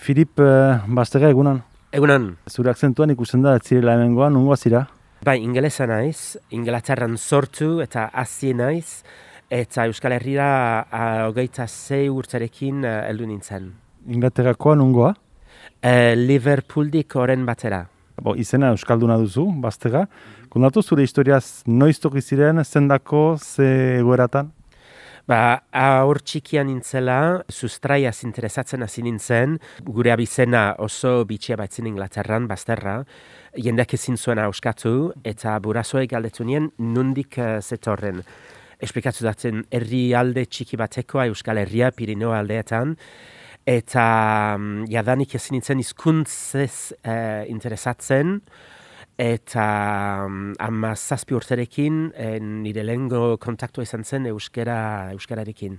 Filip Bastega egunan. Egunan. Zure akzentuan ikusten da, ez zirela hemengoan, nungoa zira? Bai, ingelesa naiz, Inglaterran sortu eta hazi naiz, eta Euskal Herrira 26 urterekin heldu nintzen. Inglaterrakoa nungoa? Liverpooldik oren batera. Izena Euskalduna duzu, Bastega. Kontatu zure historiaz noiz toki ziren, zendako, ze egoeratan? Aur txikian nintzela, sustraiaz interesatzen hasi nintzen, gure abizena oso bitxia baitzen Inglaterran, Basterra, jendeak ezin zuen auskatu, eta burasoek galdetu nien nundik zetorren. Esplikatu datzen herri alde txiki batekoa Euskal Herria, Pirineo aldeetan, eta jadanik ezin nintzen hizkuntzez interesatzen, eta 17 urterekin nire lehengo kontaktua izan zen euskararekin.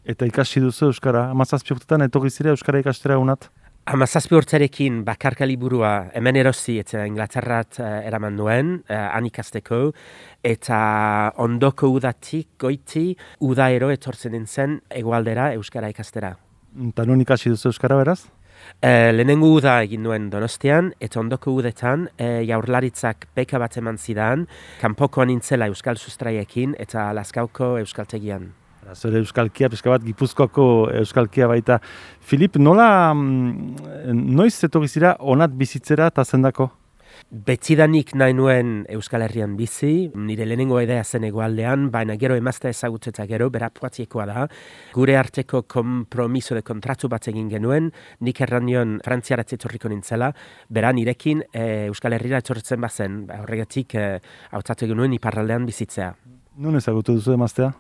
Eta ikasi duzu euskara, 17 urtetan etorri zire euskara ikastera unat? 17 urterekin bakarka liburua hemen erosi eta Inglaterrat eraman nuen, han ikasteko, eta ondoko udatik goiti udaero etortzen nintzen hegoaldera euskara ikastera. Eta nun ikasi duzu euskara beraz? Lehenengo uda egin nuen Donostian, eta ondoko udetan jaurlaritzak beka bat eman zidan, kanpokoan nintzela euskal sustraiekin eta Lazkauko euskaltegian. Zure euskalkia, pixka bat, Gipuzkoako euskalkia baita. Filip, noiz etorri zira onat bizitzera eta zendako? Betidanik nahi nuen Euskal Herrian bizi, nire lehenengo idea zen hegoaldean, baina gero emazta ezagutzeta gero, bera Poitiekoa da. Gure arteko kompromiso de kontratu bat egin genuen, nik erran nion frantziaratze etorriko nintzela, bera nirekin Euskal Herrira etortzen bazen, horregatik hautatu genuen iparraldean bizitzea. Nun ezagutu duzu emaztea?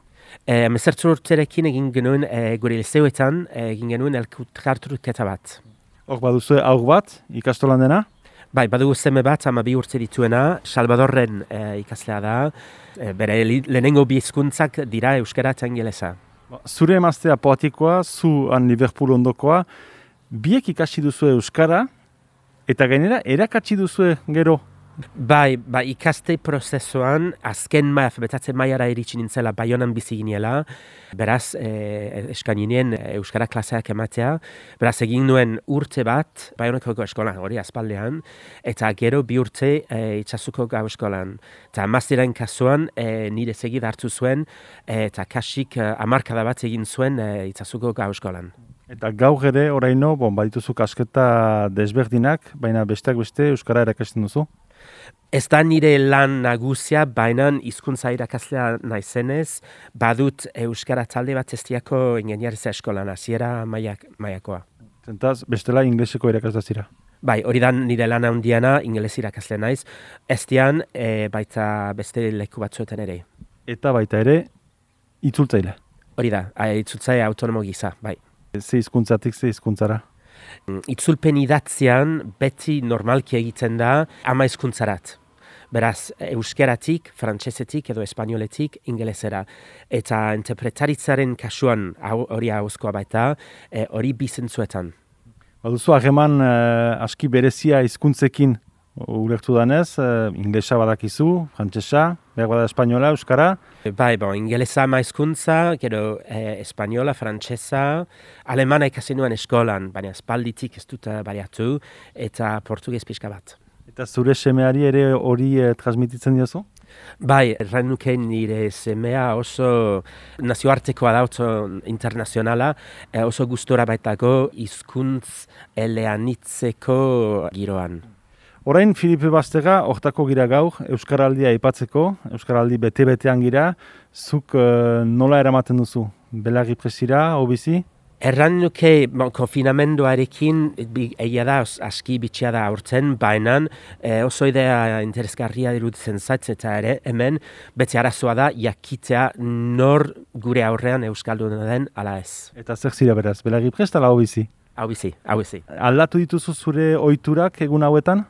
18 urterekin egin genuen gure lizeoetan, egin genuen elkarturketa bat. Hor baduzu aur bat, ikastolan dena? Bai, badugu seme bat, 12 urte dituena, Salvadorren ikaslea da, bere lehenengo bi hizkuntzak dira euskara eta ingelesa. Zure emaztea Poitiekoa, zu han Liverpool ondokoa, biek ikasi duzu euskara, eta gainera erakatsi duzu gero? Bai, ikaste prozesuan, azken betatze mailara iritsi nintzela Baionan bizi ginela, beraz, eskaninen euskara klaseak ematea, beraz egin nuen urte bat, Baionako gau eskolan, hori aspaldean, eta gero 2 urte itxasuko gau eskolan. Eta maztiren kasuan, nire segid hartu zuen, eta kasik 10 bat egin zuen itxasuko gau eskolan. Eta gaur ere, oraino, badituzu kasketa desberdinak, baina besteak beste euskara erakasten duzu? Ez da nire lan nagusia, baina hizkuntza irakaslea naizenez, badut euskara talde bat Estiako ingeniaritza eskolan, hasiera mailakoa. Zentaz, bestela ingleseko irakasle zira? Bai, hori da nire lan handiana, ingeles irakasle naiz, Estian baita beste leku batzuetan ere. Eta baita ere, itzultzaile? Hori da, itzultzaile autonomo gisa, bai. Ze hizkuntzatik ze hizkuntzara? Itzulpen idatzian beti normalki egiten da 10 hizkuntzarat. Beraz, euskeratik, frantsesetik edo espainoletik ingelesera. Eta interpretaritzaren kasuan hori hauzkoa baita, hori bizentzuetan. Baduzu hageman aski berezia hizkuntzekin ulertu danez, inglesa badakizu, frantsesa, behar bada espainola, euskara? Bai, ingelesa hizkuntza, gero espainola, frantsesa, alemana ikasi nuen eskolan, baina espalditik ez dut baliatu, eta portugez pixka bat. Eta zure semeari ere hori transmititzen diozu? Bai, erran nuke nire semea oso nazioartekoa da, oso internazionala, oso gustora baitago hizkuntz eleanitzeko giroan. Orain, Filip Bastega, hortako gira gaur, Euskaraldia aipatzeko, Euskaraldi bete-betean gira, zuk nola eramaten duzu? Belarri presira, hobizi? Erran nuke konfinamenduarekin egia da aski bitxia da aurten, baina oso idea interesgarria iruditzen zait eta ere hemen beti arazoa da jakitea nor gure aurrean euskalduna den ala ez. Eta zer zira beraz, belarri prest ala hobizi? Hobizi. Aldatu dituzu zure ohiturak egun hauetan?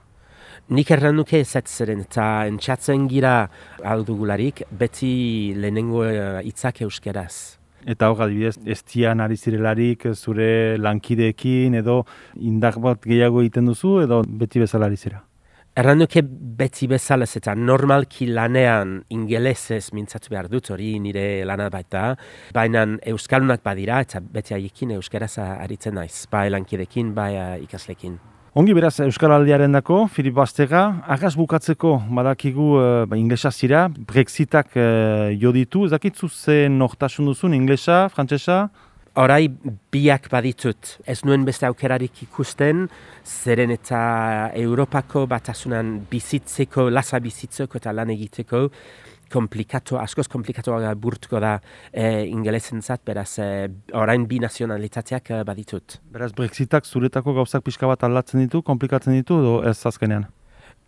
Nik erran nuke ezatzeren eta entxatzen gira aldugularik beti lehenengo hitzak euskeraz. Eta hor, adibidez, Estian ari zirelarik zure lankideekin edo indar bat gehiago egiten duzu edo beti bezala ari zira? Erran nuke beti bezala eta normalki lanean ingelesez mintzatu behar dut, hori nire lana baita, baina euskalunak badira eta beti haiekin euskaraz aritzen naiz, bai lankidekin, bai ikaslekin. Ongi beraz, Euskaraldiaren dako, Filip Bastega, agaz bukatzeko badakigu inglesa zira, Brexitak jo ditu, ez dakitzu ze nortasun duzun, inglesa, frantsesa? Horai biak baditut, ez nuen beste aukerarik ikusten, zeren eta Europako batasunan bizitzeko, lasa bizitzeko eta lan egiteko, askoz komplikatuagoa burtuko da ingelesentzat, beraz orain bi nazionalitateak baditut. Beraz, Brexitak zuretako gauzak pixka bat aldatzen ditu, komplikatzen ditu, edo ez azkenean?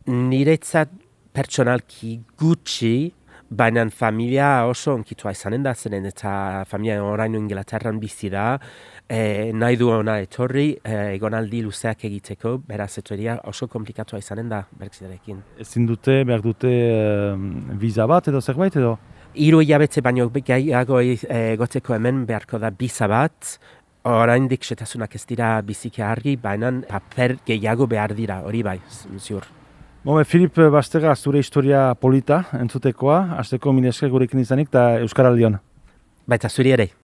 Niretzat pertsonalki gutxi, baina familia oso onkitua izanen da, zeren eta familia orain Inglaterran bizi da, nahi du ona etorri, egonaldi luzeak egiteko, beraz etorria oso komplikatua izanen da Brexitarekin. Ezin dute, behar dute visa bat edo zerbait edo? 3 hilabete baino gehiago egoteko hemen beharko da biza bat, oraindik setasunak ez dira biziki argi, baina paper gehiago behar dira, hori bai, ziur. Filip Bastega, zure historia polita entzutekoa, hasteko mila esker gurekin izanik eta Euskaraldion. Baita zuri ere.